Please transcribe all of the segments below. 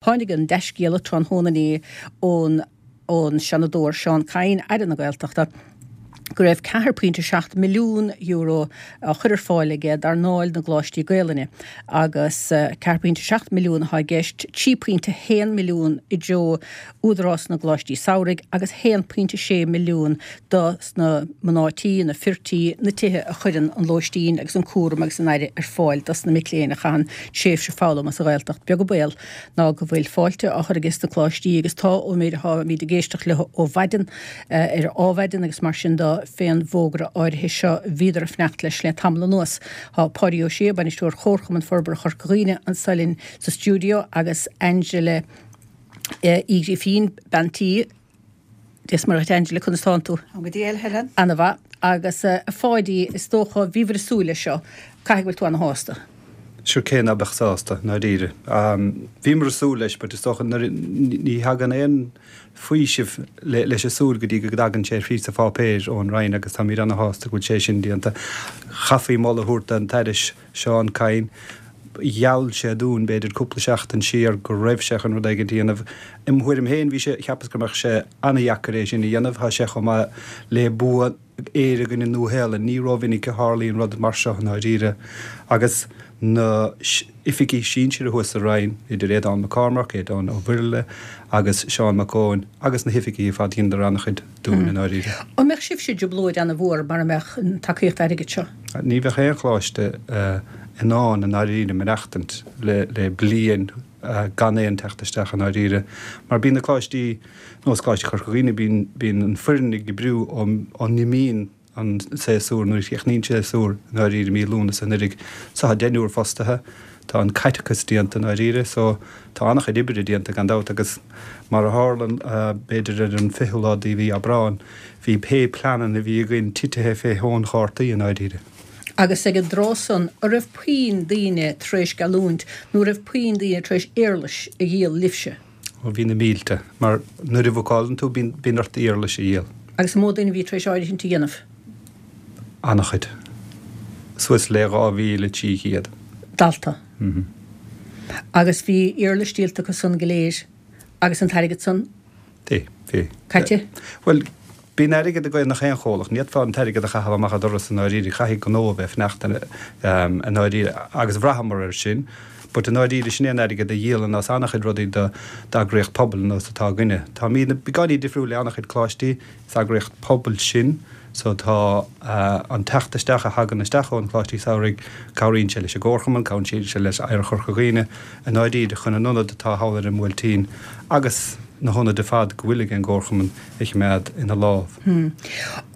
Tháinig an dea-scéala tráthnóna inné ón ón Seanadóir Seán Kyne, Aire na Gaeltachta, go raibh €4.7 milliún á chur ar fáil aige d'earnáil na gcoláistí Gaelainne agus 4.7 milliún atá i gceist, 3.1 milliún i dtreo Údarás na gColáistí Samhraidh agus 1.6 milliún do sna mná tí, na fir tí, na tithe a chuireann an lóistín agus an cúram agus an aire ar fáil dos na mic léinn a chaitheann tréimhse foghlama sa Ghaeltacht. Beag an baol ná go bhfuil fáilte á chur aige sna coláistí agus tá ón méid atáimid ag éisteacht leo ó mhaidin ar Ádhmhaidin agus mar sin de fén bhfógra áirithe seo bhíodar ag fanacht leis le tamall anuas. Tá Páidí Ó Sé, Bainisteoir Chomharchumann Forbartha Chorca Dhuibhne anso linn sa stiúideo agus Angela Uí Ghrifín, bean tí, Dia is Muire dhuit Angela, conas tánn tú? Táim go diail, Helen. Ana mhaith. Agus a Pháidí, is dócha, bhíobhair ag súil leis seo. Caithfidh go bhfuil tú ana shásta. Sure cé ná beadh sásta, i ndáiríre. Bhíomar ag súil leis but is dócha nuair, ní thagann aon faoiseamh leis an súil go dtí go dtagann sé thríd sa pháipéir ón Roinn agus táimid ana shásta go bhfuil sé sin déanta. Chaithfí moladh a thabhairt don tAire Seán Kyne. Gheall sé dúinn, b'fhéidir cúpla seachtain siar, go raibh sé chun rud éigin a dhéanamh. I mo thuairim féin, bhí sé, cheapas go mbeadh sé an-dheacair é sin a dhéanamh. Tá sé chomh maith le bua Éire i gcoinne Nua-Shéalainn. Ní rómhinic a tharlaíonn rud mar seo i ndáiríre. Agus na oifigigh sinsir thuas sa Roinn, idir Aodhán Mac Cormaic, Aodhán Ó Mhuirthile agus Seán Mac Eoin agus na hoifigigh ar fad, dheineadar an-chuid dúinn i ndáiríre. An mbeadh sibhse i dtrioblóid ana-mhór mara mbeadh an tacaíocht airgid seo? Ní bheadh aon choláiste in ann i ndáiríre maireachtaint le bliain gan aon teacht isteach i ndáiríre mar bíonn na coláistí, nós Coláiste Chorca Dhuibhne, bíonn, bíonn an foireann ag oibriú ó n-imíonn an séasúr, nuair a chríochnaíonn séasúr i ndáiríre mí Lúnasa anuraidh. So tá deichniúr fostaithe, tá an caiteachas déanta i ndáiríre so tá an-chuid oibre déanta gan dabht agus mar a tharla b'fhéidir ar an 20ú lá de mhí Aibreáin, Bhí pé pleananna a bhí againn titithe fé thóin chártaí i ndáiríre. Agus ag an dtráth san, an raibh puinn daoine tar éis geallúint, nó an raibh puinn daoine tar éis éarlais a dhíol libhse? Ó, bhí na mílte. Mar nuair a bhookálann tú, bíonn, bíonn ort éarlais a dhíol. Agus an mó duine a bhí tar éis áirithint a dhéanamh? An-chuid. Suas le 2,300. Dalta. Agus bhí éarlais díolta acu san go léir, agus an t-airgead san? Bhí, bhí. Caite? Bhuel, bíonn airgead ag gach aon chomhlacht. Ní fhéadfá an t-airgead a chaitheamh amach an doras i ndáiríre. Caithfidh gnó a bheith ag fanacht i ndáiríre agus bhraitheamar air sin. But i ndáiríre, sin é an airgead a dhíolann as an-chuid rudaí d'eagraíocht pobail nós atá againne. Táimid beagáinín difriúil le an-chuid coláistí. Is eagraíocht pobail sinn so tá an teacht isteach a thagann isteach ó na Coláistí Samhraidh, cabhraíonn sé leis an gComharchumann, cabhraíonn sé le Oidhreacht Chorca Dhuibhne i ndáiríre chun an ionad atá thall ar an mBuailtín agus na hionaid ar fad go bhfuil ag an gComharchumann a choimeád ina lámh.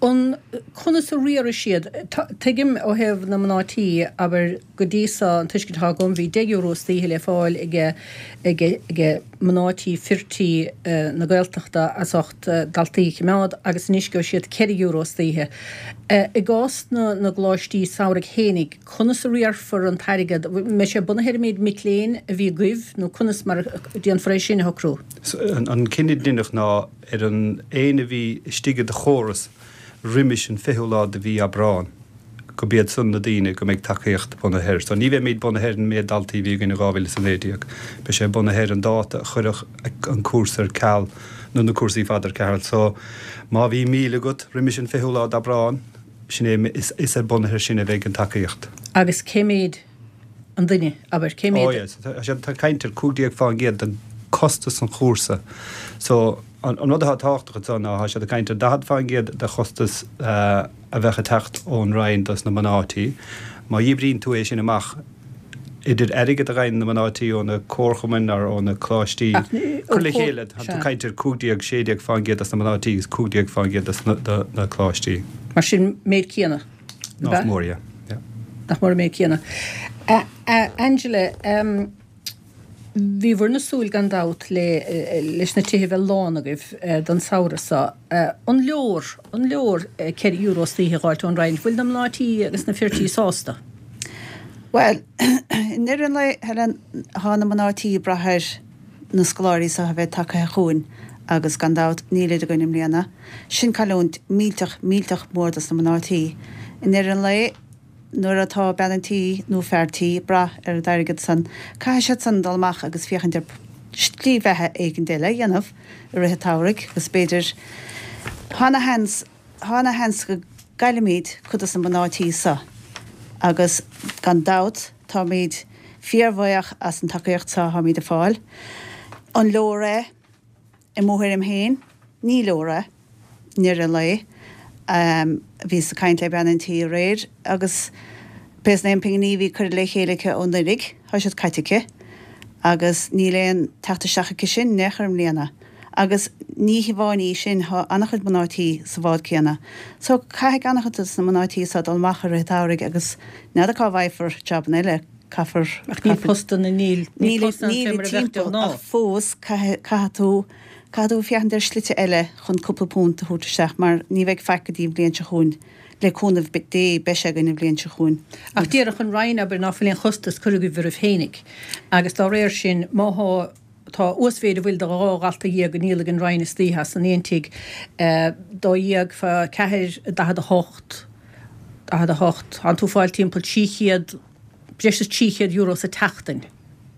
An, conas a riarfaidh siad? Tuigim ó thaobh na mná tí, abair, go dtí so, an tuiscint atá agam, bhí €10 istoíche le fáil ag, ag, ag mná tí, fir tí na Gaeltachta as ucht daltaí a choimeád agus anois gheobhaidh siad €4 istoíche. I gcás na, na gcoláistí samhraidh fhéinig, conas a riarfar an t-airgead? Mbeidh sé bunaithe ar an méid mic léinn a bhí agaibh nó conas mar a déanfar é sin a shocrú? An cinneadh a deineadh ná ar an éinne a bhí istigh i do chóras roimis an 20ú lá de mhí Aibreán, go b'iad san na daoine go mbeidh tacaíocht bunaithe air. So ní bheimid bunaithe ar an méid daltaí a bhí againn in 2019. Beidh sé bunaithe ar an dáta a cuireadh an cúrsa ar ceal, nó na cúrsaí fad ar ceal. So má bhí 1,000 agat roimis an 20ú lá d'Aibreán, sin é, is ar bunaithe ar sin a bheidh an tacaíocht. Agus cé méid an duine, abair, cé méid. Oh yes, tá siad ag caint ar 15% de costas an chúrsa. So an rud atá tábhachtach anseo ná tá siad ag caint ar 40% de chostas a bheadh ag teacht ón Roinn dos na mná tí. Má dhíbríonn tú é sin amach idir airgead a gheibheann na mná tí ó na comharchumainn nó ó na coláistí, cur le chéile, tá tú ag caint ar 15, 16% dos na mná tí agus 15% dos na coláistí. Mar sin méid céanna. Nach mór, yeah. Yeah. Nach mór an méid céanna. Angela, bhíobhair-ne ag súil gan dabht le leis na tithe a bheith lán agaibh don samhradh seo. An leor, an leor €4 istoíche a dh'fháilt ón Roinn? Bhfuil na mná tí agus na fir tí sásta? Bhuel, i ndeireadh an lae, Helen, tá na mná tí ag brath ar na scoláirí seo a bheith tagtha chugainn agus gan dabht nílid againn i mbliana. Sin cailliúint millteach, millteach mór dos na mná tí. I ndeireadh an lae, nuair atá bean an tí nó fear tí ag brath ar an airgead san, caithfidh siad san dul amach agus féachaint ar. slí bheatha éigin eile a dhéanamh i rith an tsamhraidh agus b'fhéidir, tá ana sheans, tá ana sheans go gcaillfimid cuid dos na mná tí so agus gan dabht táimid fíorbhuíoch as an tacaíocht so atáimid ag fáil. An leor é? I mo thuairim féin, ní leor é, i ndeireadh an lae. Bhíos ag caint le bean an tí aréir agus pé sna aon pinginí a bhí curtha le chéile aici ó anuraidh, tá siad caite aici agus níl aon teacht isteach aici sin in aon chor i mbliana. Agus ní hamháin í sin, tá an-chuid mná tí sa bhád céanna. So caithfidh an-chuid de na mná tí so dul amach i rith an tsamhraidh agus n'fheadar cá bhfaighfear jabanna eile. Caithfear. Ach níl postanna, níl, níl postanna ann fé mar a bheadh de ghnáth. Ach fós, caithfidh tú, caithfidh tú féachaint ar shlite eile chun cúpla punt a thabhairt isteach mar ní bheidh faic go dtí an bhliain seo chugainn. Le cúnamh Dé, beidh sé againn an bhliain seo chugainn. Ach déarfadh an Roinn, abair, ná fuil aon chostas curtha agaibh oraibh féinig agus dá réir sin, má thá, tá uasmhéid a bhfuil de 12 dhalta á ndíol ag an Roinn istoíche as an aon tigh, 12 fá 4, 48, 48, tánn tú ag fáil timpeall 300, breis is €300 sa tseachtain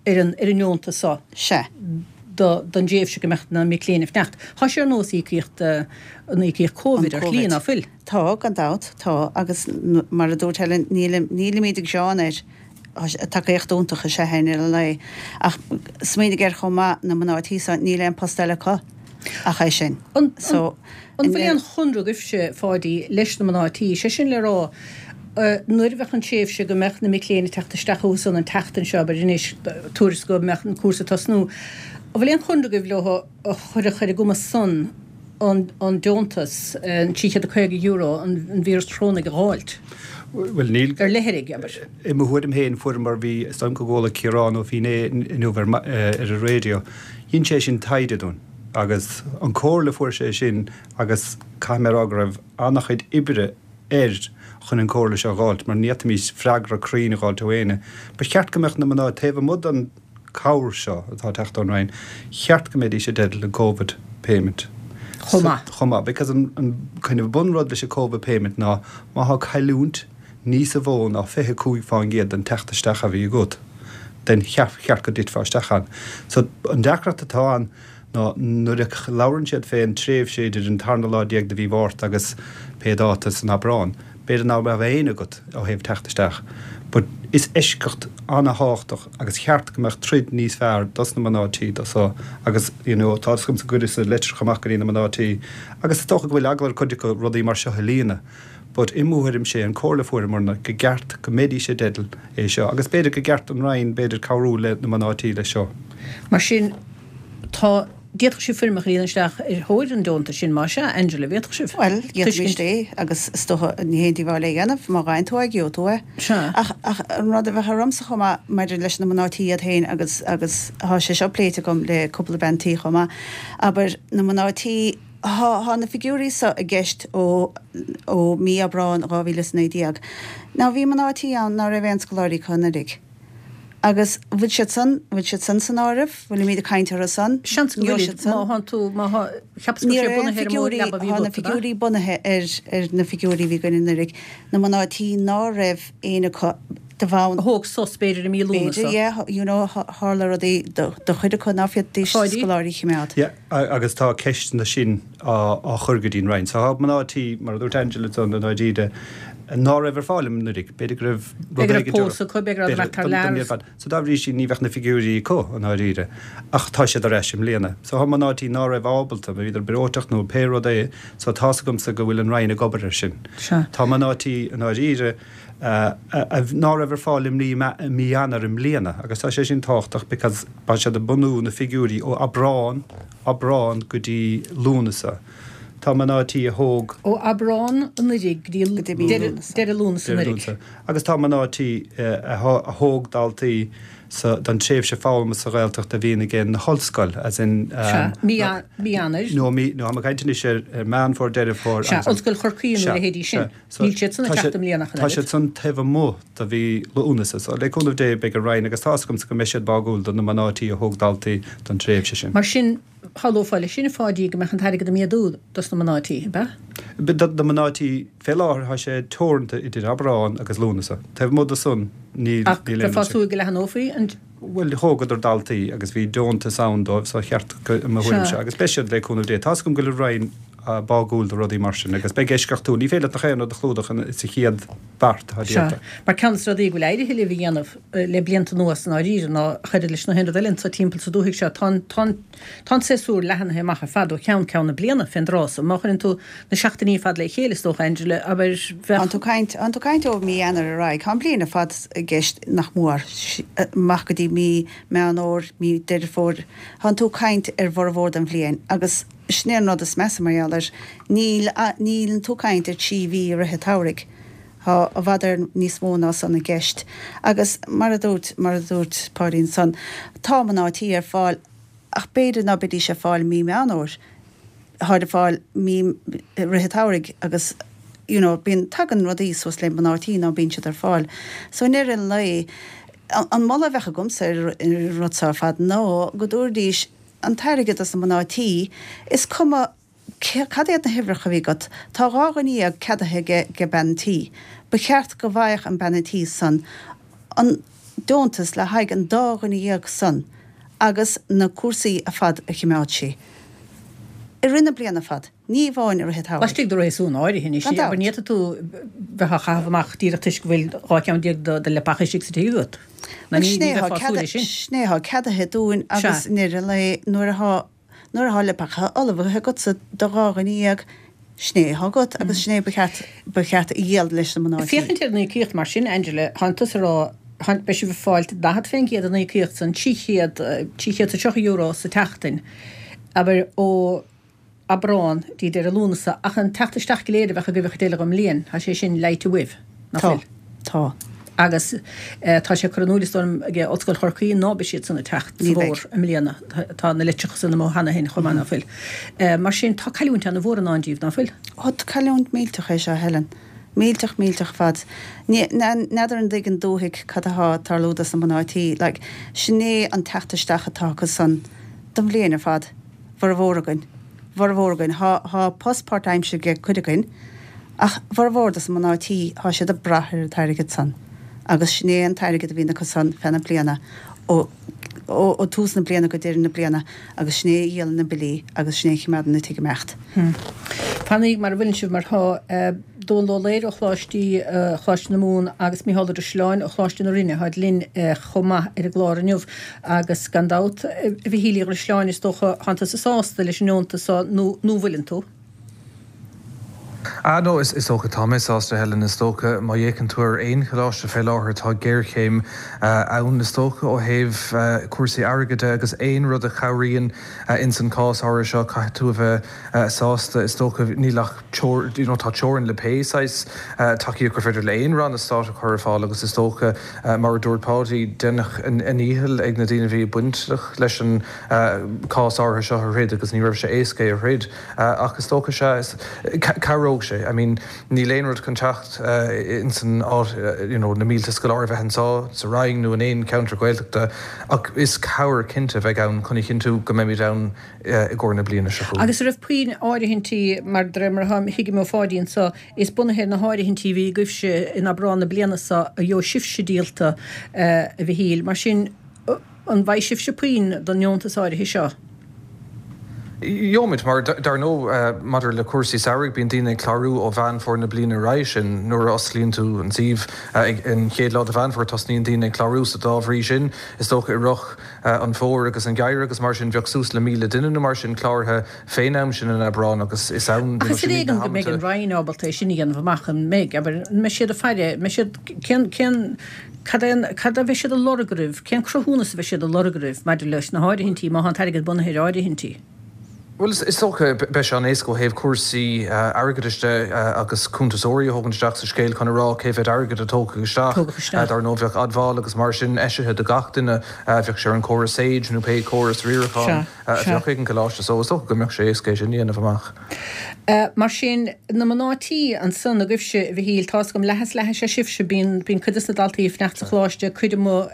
ar an ar an ndeontas so. Sea. do don dtréimhse go mbeadh na mic léinn ag fanacht. Tá sé ar nós íocaíocht an íocaíocht Covid ar shlí, ná fuil? Tá, gan dabht, tá, agus mar a dúirt Helen, nílimid ag gearán air, tacaíocht iontach is ea é i ndeireadh an lae. Ach smaoinigh air chomh maith, na mná tí so, níl aon post eile acu ach é sin. So, An bhfuil aon chonradh agaibhse, Pháidí, leis na mná tí, sé sin le rá, nuair a bheadh an tréimhse go mbeadh na mic léinn ag teacht isteach chucu san an tseachtain seo, abair anois, tabhair is go mbeadh an cúrsa ag tosnú, an bhfuil aon chonradh agaibh leo a chuirfeadh ar a gcumas san an deontas, an €350, an víreas chorónaigh a dh'fháilt? Bhuel, níl. Ar leithrigh, abair. I mo thuairim féin, fuaireamar, bhí, is dóigh liom go gcuala Ciarán Ó Fínné inniu ar an raidió, dhein sé sin taighde dúinn agus an comhairle a fuair sé sin agus caithfidh mé a rá go raibh an-chuid oibre air chun an comhairle seo a dh'fháilt mar ní fhéadfaimis freagra cruinn a dh'fháilt ó éinne. Ba cheart go mbeadh na mná taobh amuigh den cabhair seo atá ag teacht ón Roinn, cheart go mbeidís i dteideal an Covid payment. Chomh maith. Chomh maith because an an kind of bunrud leis an Covid payment ná má thá cailliúint níosa mhó ná 25% den teacht isteach a bhí agat, then cheart go dtitfeá isteach ann. So an deacracht atá ann ná nuair a labhrann siad fén tréimhse idir an tarna lá déag de mhí Mhárta agus pé dáta san Aibreán, b'fhéidir ná raibh aon agat ó thaobh teacht isteach. But is eisceacht ana-thábhachtach agus cheart go mbeadh troid níos fearr dos na mná tí do so agus you know tá fhios agamsa chuireas-sa litreacha amach go dtí na mná tí agus is dócha go bhfuil eagla ar cuid acu rudaí mar seo a líonadh but i mo thuairim sé an comhairle a fuaireamarna go gceart go mbeidís i dteideal é seo agus b'fhéidir go gceart don Roinn b'fhéidir cabhrú le na mná tí leis seo. Mar sin tá, d'fhéadfadh sibh foirmeacha a líonadh isteach ar thóir an deontais sin, más ea, Angela, bhféadfadh sibh? Bhuel, d'fhéadfaimis é agus is dócha ní haon díobháil é a dhéanamh, má fhaigheann tú é, gheobhaidh tú é. Sea. Ach, ach an rud a bheadh ormsa chomh maith maidir leis na mná tí iad féin agus, agus thá sé seo pléite agam le cúpla bean tí chomh maith, abair, na mná tí, Thá, thá na figiúirí so i gceist ó, ó mí Aibreáin 2019. Now bhí mná tí ann ná raibh aon scoláirí acu anuraidh. Agus bhfuil siad san, bhfuil siad san san áireamh? Bhfuilimíd ag caint orthu san? Seans go bhfuilid, má thánn tú, má thá, cheapas go raibh sé bunaithe ar an mód leaba a bhí agat, ab ea? Thá na figiúirí bunaithe ar, ar na figiúirí a bhí againn anuraidh. Na mná tí ná raibh éinne acu de bhonn. A thóg sos b'fhéidir i mí Lúnasa. B'fhéidir, yeah, you know, tharla rudaí do, do chuid acu ná féadfaidís scoláirí a chimeád. Yeah. Agus tá ceisteanna sin á chur go dtí an Roinn. So tá mná tí, mar a dúirt Angela ansan i ndáiríre, ná raibh ar fáil anuraidh. B'fhéidir go raibh rud éigin. B'fhéidir go raibh pósadh acu, b'fhéidir go raibh thar lear. So dá bhrí sin ní bheadh na figiúirí acu i ndáiríre. Ach tá siad ar ais i mbliana. So tá mná tí ná raibh ábalta, bhíodar breoiteach nó pé rud é, so tá's agamsa go bhfuil an Roinn ag obair air sin. Tá mná tí i ndáiríre ná raibh ar fáil i mí Eanáir i mbliana agus tá sé sin tábhachtach because Tá siad ag bunú na figiúirí ó Aibreán, Aibreán go dtí Lúnasa. Tá mná tí a thóg. Ó Aibreán anuraidh go dtí deireadh Lúnasa anuraidh. Agus tá mná tí a thóg daltaí sa, don tréimhse foghlama sa Ghaeltacht a bhíonn ag na hollscoil, as in. Sea, mí Eanáir. No, mí, no, tá mé ag caint anois ar Meán Fómhair, Deireadh Fómhair agus. Sea, Ollscoil Chorcaí nó a leithéidí sin. Níl siad san ag teacht i mbliana ach an oiread. Tá siad san taobh amuigh de mhí Lúnasa. So, le cúnamh Dé, beidh an Roinn, agus tá's agamsa go mbeidh siad báúil do na mná tí a thóg daltaí don tréimhse sin. Mar sin, shamhlófá leis sin, a Pháidí, go mbeadh an t-airgead ag méadú dos na mná tí, ab ea? Do na mná tí, fé láthair tá sé teoranta idir Aibreán agus Lúnasa. Taobh amuigh de san, níl Ach aon bheifeá ag súil go leathanófaí an. Bhuel, thógadar daltaí agus bhí deontas ann dóibh, so cheart go, i mo thuairimse, agus beidh siad le cúnamh Dé. Tá's agam go bhfuil an Roinn bágúil do rudaí mar sin agus beidh eisceachtúil. Ní féidir leat nach aon rud a chlúdach sa chéad bheart atá déanta. Sea. Mar ceann de na rudaí go bhfuil éirithe libh a dhéanamh le blianta anuas i ndáiríre ná ach oiread leis na haon rud eile anso timpeall sa dúthaigh seo, tá an, tá an, Tá an séasúr leathnaithe amach ar fad ó cheann ceann na bliana fén dtráth so. Má chuireann tú na seachtainí ar fad le chéile, is dócha, Angela, abair, bheadh. Tánn tú caint, tánn tú caint ó mí Eanáir ar aghaidh. Tá an bhliain ar fad i gceist nach mór, amach go dtí mí Meán Fhómhair, mí Deireadh Fómhair. Tánn tú caint ar bhformhór den bhliain agus sin é an rud is measa mar gheall air. Níl, níleann tú caint ar thrí mhí i rith an tsamhraidh. Tá i bhfad Éireann níos mó ná san i gceist. Agus mar a dúirt, mar a dúirt Páidí ansan, tá mná tí ar fáil ach b'fhéidir ná beidís ar fáil mí Meán Fhómhair. Táid ar fáil mí, i rith an tsamhraidh agus you know bíonn, tagann rudaí suas le mná tí ná bíonn siad ar fáil. So i ndeireadh an lae, an moladh a bheadh agamsa ar an rud seo ar fad ná go dtabharfaidís an t-airgead dos na mná tí, is cuma, Cad iad na huimhreacha a bhí agat? Tá 12 dhuine ceadaithe ag bean an tí. Ba cheart go bhfaigheadh an bean an tí san an deontas le haghaidh an dá dhuine dhéag san agus na cúrsaí ar fad a chimeád sí. I rith na bliana ar fad, ní amháin i rith an tsamhraidh. Laistigh de réasún áirithe anois, Gan dabht. abair, ní fhéadfaidh tú bheith á chaitheamh amach díreach toisc go bhfuil 12 ceann de leapacha istigh sa tigh agat. Ná ní bheifeá ag súil leis sin. Sin é atá ceadaithe dúinn agus i ndeireadh an lae nuair atá Nuair atá leapacha ullmhaithe agatsa do dha dhuine dhéag, sin é atá agat agus sin é ba cheart, ba cheart a dhíol leis na mná tí. Féachaint ar an íocaíocht mar sin, Angela, tánn tusa ag rá, tánn, beidh sibh ag fáilt 40% den íocaíocht san, 300, €330 sa tseachtain, abair, ó Aibreán dtí deireadh Lúnasa, ach an teacht isteach go léir a bheadh agaibh an chuid eile den mbliain, tá sé sin leáite uaibh, nach bhfuil? Tá. Tá. Agus tá sé curtha in iúl, is dóigh liom, ag Ollscoil Chorcaí ná beidh siad san ag teacht sa bhfómhar i mbliana. Tá na litreacha san amuigh cheana féin chomh maith, ná fuil? Mar sin, tá cailliúint ana-mhór i ndán díbh, ná fuil? Ó, cailliúint millteach é seo, a Helen. Millteach, millteach ar fad. N'fheadar an dtuigeann dúthaigh cad athá ag tarlú dos na mná tí. Like, sin é an teacht isteach atá acu san don bhliain ar fad. Bhformhór againn. Bhformhór againn. Thá, thá post páirtaimseartha ag cuid againn. Ach formhór dos na mná tí, thá siad ag brath ar an t-airgead san agus sin é an t-airgead a bhíonn acu san feadh na bliana, ó, ó tús na bliana go deireadh na bliana agus sin é a dhíolann na billí agus sin é a chimeádann an tigh ag imeacht. Fanaigí mar a bhfuileann sibh mar thá Dónal Ó Laoire ó Choláistí, Choláiste na Mumhan agus Mícheál Ó Drisleáin ó Choláiste na Rinne, tháid linn chomh maith ar an gclár inniu agus gan dabht, a Mhichíl Uí Dhrisleáin, is dócha, thánn tusa sásta leis an ndeontas so nó, nó bhfuileann tú? Ah no, is dócha, tá mé sásta, Helen, is dócha, má fhéachann tú ar aon choláiste fé láthair tá géarchéim ann, is dócha, ó thaobh cúrsaí airgid de agus aon rud a chabhraíonn ins an cás áirithe seo, caithfidh tú a bheith sásta, is dócha, níl ach you know tá teorainn le pé saghas tacaíocht gur féidir le aon ranna stáit a chur ar fáil agus is dócha, mar a dúirt Páidí, deineadh a ndícheall ag na daoine a bhí bainteach leis an cás áirithe seo a throid agus ní raibh sé éasca é a throid. Ach is dócha, sea, is, cabhróidh sé. I mean, níl aon rud chun teacht ins an áit, you know, na mílte scoláire a bheith anseo sa Rinn nó in aon cheantar Gaeltachta ach is cabhair cinnte a bheidh ann chun a chinntiú go mbeimid ann i gcomhair na bliana seo chugainn. Agus an raibh puinn áirithintí, mar de réir mar a thuigim ó Pháidí anseo, is bunaithe ar na háirithintí a bhí agaibhse in Aibreán na bliana seo a gheobhaidh sibhse díolta, a Mhichíl. Mar sin, An bhfaighidh sibhse puinn don ndeontas áirithe seo? Gheobhaimid, mar dar ndóigh maidir le cúrsaí samhraidh bíonn daoine ag clárú ó Mheán Fómhair na bliana roimhe sin. Nuair a osclaíonn tú an suíomh ag an chéad lá de Mheán Fómhair tosnaíonn daoine ag clárú so dá bhrí sin is dócha i rith an fhómhair agus an gheimhridh agus mar sin bheadh suas le 1,000 duine nó mar sin cláraithe fén am sin in Aibreán agus is ann Ach is ar éigean go mbeidh an Roinn ábalta é sin a dhéanamh amach, an mbeidh? Abair, an mbeidh siad ag faire, an mbeidh siad, cén, cén, cad é an, cad a bheidh siad ag lorg oraibh, cén cruthúnas a bheidh siad ag lorg oraibh maidir leis na háirithintí, má tá an t-airgead bunaithe ar áirithintí? Bhuel, is dócha, beidh sé an-éasca ó thaobh cúrsaí airgeadais de agus cuntasóirí a thógaint isteach sa scéal chun a rá cé mhéad airgead a tógadh isteach. Dar ndóigh, bheadh admháil agus mar sin eisithe do gach duine, bheadh sé ar an chóras Sage nó pé córas riaracháin. a bheadh ag an gcoláiste so is dócha go mbeadh sé éasca é sin a dhéanamh amach. Mar sin, na mná tí ansan agaibhse, a Mhichíl, tá's agam, leath is leath is ea sibhse, bíonn, bíonn cuid des na daltaí ag fanacht sa choláiste, cuid amuigh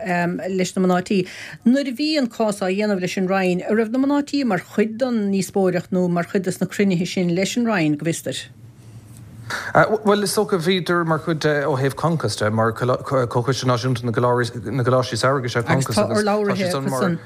leis na mná tí. Nuair a bhí an cás á dhéanamh leis an Roinn, a' raibh na mná tí mar chuid den ndíospóireacht nó mar chuid des na cruinnithe sin leis an Roinn, go bhfios duit? Bhuel, is dócha, bhíodar mar chuid de ó thaobh Concos de, mar Comhchoiste Náisiúnta na gColáistí Samhraidh is ea Concos agus tá siad san mar.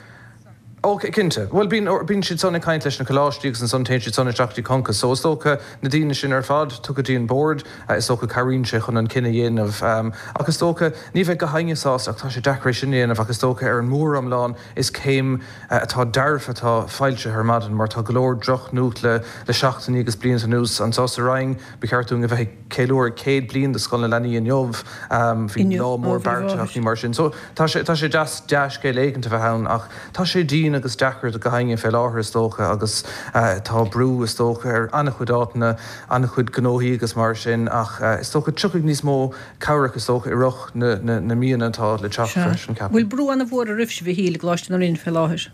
Ó, cinnte. Bhuel, bíonn, bíonn siad san ag caint leis na coláistí agus ansan téann siad san isteach dtí Concos. So is dócha na daoine sin ar fad tugtha dtí an bord, is dócha cabhraíonn sé chun an cinneadh a dhéanamh. Ach is dócha, ní bheidh gach éinne sásta ach tá sé deacair é sin a dhéanamh ach is dócha ar an mór-iomlán is céim atá dearfa atá foilsithe ar maidin mar tá go leor drochnuacht le le seachtainí agus blianta anuas. Anseo sa Rinn, ba cheart dúinn a bheith ag ceiliúradh 100 bliain de Scoil na Leanaí inniu. Bhí lá mór beartaithe ach ní mar sin. So tá sé tá sé deas dea-scéal éigint a bheith ann ach tá sé dian agus deacair do gach éinne fé láthair is dócha agus tá brú is dócha ar an-chuid áiteanna, an-chuid gnóthaí agus mar sin ach is dócha tiocfaidh níos mó cabhrach is dócha i rith na míonna atá le teacht freisin, ceapaim. Bhfuil brú an-mhór oraibhse a Mhichíl i gColáiste na Rinne fé láthair?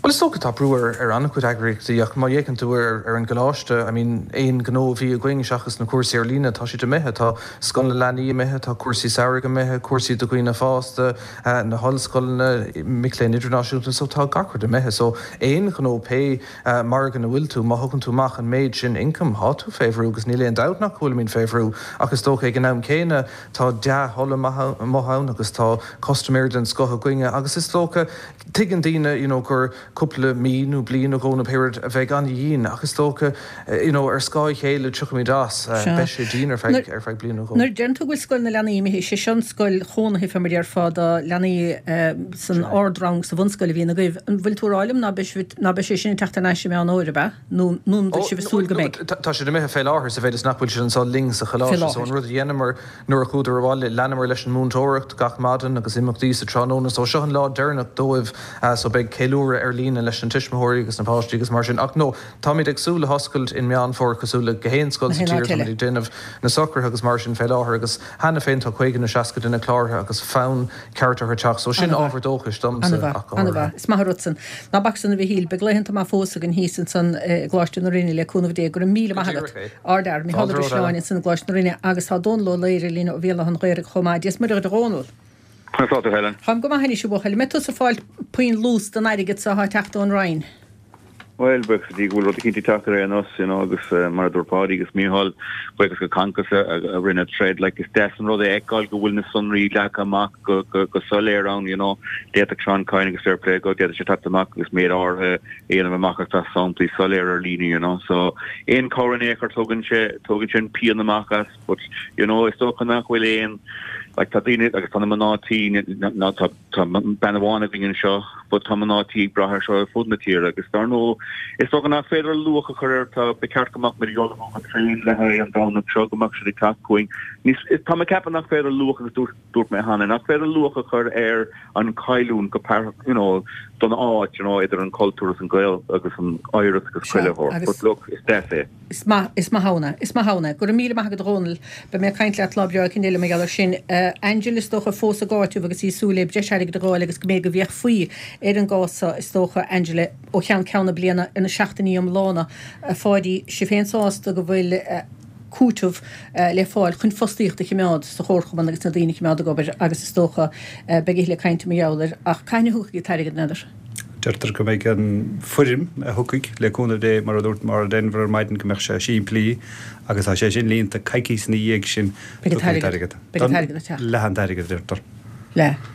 Bhuel is dócha tá brú ar ar an-chuid eagraíochtaí ach má fhéachann tú ar ar an gcoláiste, I mean aon ghnó a bhí againn seachas na cúrsaí ar líne, tá siad imithe. Tá Scoil na Leanaí imithe, tá cúrsaí samhraidh imithe, cúrsaí do dhaoine fásta, na hollscoileanna, mic léinn idirnáisiúnta, so tá gach rud imithe. So aon ghnó pé margadh ina bhfuil tú, má thugann tú amach an méid sin ioncaim, tá tú fé bhrú agus níl aon dabht nach bhfuilimid fé bhrú ach is dócha ag an am céanna tá dea-thoil amuigh ann agus tá custaiméirí den scoth againne agus is dócha Tuigeann daoine you know gur cúpla mí nó bliain nó dhó nó pé rud a bheidh an-dhian ach is dócha you know ar scáth a chéile tiocfaimid as. Beidh sé dian ar feadh ar feadh bliain nó dhó. Nuair a deireann tú go bhfuil Scoil na Leanaí imithe, sé seo an scoil chónaithe fé mar a déarfá do leanaí san ardrang sa bhunscoil a bhíonn agaibh. An bhfuil tú ag rá liom ná beidh ná beidh sé sin ag teacht thar n-ais i Meán Fhómhair, ab ea? Nó nó an bhfuil sibh ag súil go mbeidh? Tá siad imithe fé láthair sa mhéid is nach bhfuil siad anseo linn sa choláiste so an rud a dheineamar Nuair a chuadar abhaile, leanamar leis an múinteoireacht gach maidin agus imeachtaí sa tráthnóna. So seo an lá deireanach dóibh so beidh ceiliúradh ar líne leis na tuismitheoirí agus na páistí agus mar sin. Ach no, táimid ag súil le hoscailt in Meán Fómhair cosúil le gach aon scoil sa tír. Táimid ag déanamh na socruithe agus mar sin fé láthair agus cheana féin tá 50 nó 60 duine cláraithe agus fonn ceart orthu teacht. So sin ábhar dóchais domsa ach go háirithe. An-mhaith. Is maith an rud san. Ná bac san a Mhichíl. Beidh laethanta maith fós againn thíos ansan i gColáiste na Rinne le cúnamh Dé. Go raibh míle maith agat. Ardfhear, Micheál Ó Drisleáin ansan i gColáiste na Rinne agus tá Dónal Ó Laoghaire linn ó Bhéal Átha an Ghaorthaidh chomh maith. Dia 's Muire dhuit a Dhónaill. Conas tá tú Helen? Táim go maith anois a bhuachaill. An mbeidh tusa ag fáil puinn luas den airgead so atá ag teacht ón Roinn? Bhuel, buíochas le Dia go bhfuil rud eicínt ag teacht ar aon nós, you know, agus mar a dúirt Páidí agus Mícheál, buíochas go Concos a rinne troid, like, is deas an rud é a fheiceáil go bhfuil na sonraí leagtha amach go, go, go soiléir ann, you know. D'fhéadfadh Seán Kyne agus fair play dó, d'fhéadfadh sé teacht amach agus méid áirithe a dhéanamh amach ach tá samplaí soiléir ar líne you know so aon cabhair in aon chor tugann sé tugann sé an pian amach as but you know is dócha nach bhfuil aon like tá daoine agus tá na mná tí ná tá tá bean amháin againn anseo but tá mná tí ag brath ar seo ar fud na tíre agus dar ndóigh is dócha nach féidir luach a chur air tá ba cheart go mbeadh muid ag ullmhú an traein le haghaidh an Domhnach seo go mbeadh siad ag teacht chugainn níos tá mé ag ceapadh nach féidir luach agus dúirt dúirt mé cheana nach féidir luach a chur ar an chailliúint go you know don áit you know idir an cultúr agus an Gael agus an oidhreacht agus chuile shórt but look is deas é. Is maith, is maith ann é, is maith ann é. Go raibh míle maith agat a Dhónaill. Beidh mé ag caint leat lá breá éicint eile mar gheall air sin. Angela is dócha fós ag áiteamh agus í ag súil le breis airgid a dh'fháil agus go mb'fhéidir go bhféachfaí ar an gcás seo is dócha Angela ó cheann ceann na bliana ar na seachtainí iomlána. A Pháidí, sibh féin sásta go bhfuil cúiteamh le fáil chun fostaíocht a chimeád sa chomharchumann agus na daoine a chimeád ag obair agus is dócha beidh a thuilleadh cainte mar gheall air ach cathain a thiocfaidh an t-airgead n'fheadar? Deirtear go mbeidh an foirm a thiocfaidh le cúnamh Dé mar a dúirt Maura Denvir ar maidin go mbeadh sé simplí agus tá sé sin líonta coicís ina dhiaidh sin Beidh an t-airgead. Beidh an t-airgead ag teacht. Leath an t-airgead a deirtear. Leath.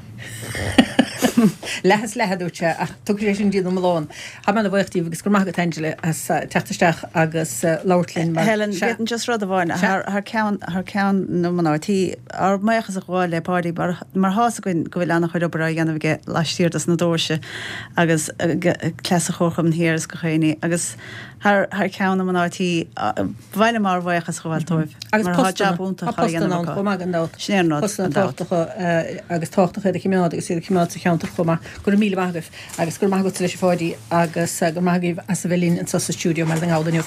Leath is leath a dúirt sé ach tiocfaidh sé sin dtí'n iomlán. Tá mé ana bhuíoch díobh agus go raibh maith agat Angela as teacht isteach agus labhairt linn mar Helen, sea. B'fhéidir just rud amháin, thar thar ceann thar ceann na mná tí, ár mbuíochas a ghabháil le Páidí mar mar thá's againn go bhfuil an-chuid obair á dhéanamh aige laistiar dos na doirse agus cleas an Chomharchumainn thiar is gach éinne agus thar thar ceann na mná tí ba mhaith liom ár bhuíochas a ghabháil dóibh Agus mar tá jab iontach á dhéanamh acu. Chomh maith gan dabht. Sin é an rud, Postanna gan dabht. tábhachtacha agus tábhachtach iad a chimeád agus iad a chimeád sa cheantar chomh maith. Go raibh míle maith agaibh agus go raibh maith agatsa leis a Pháidí agus go raibh maith agaibh as a bheith linn anseo sa stiúideo i mBaile na nGall inniu.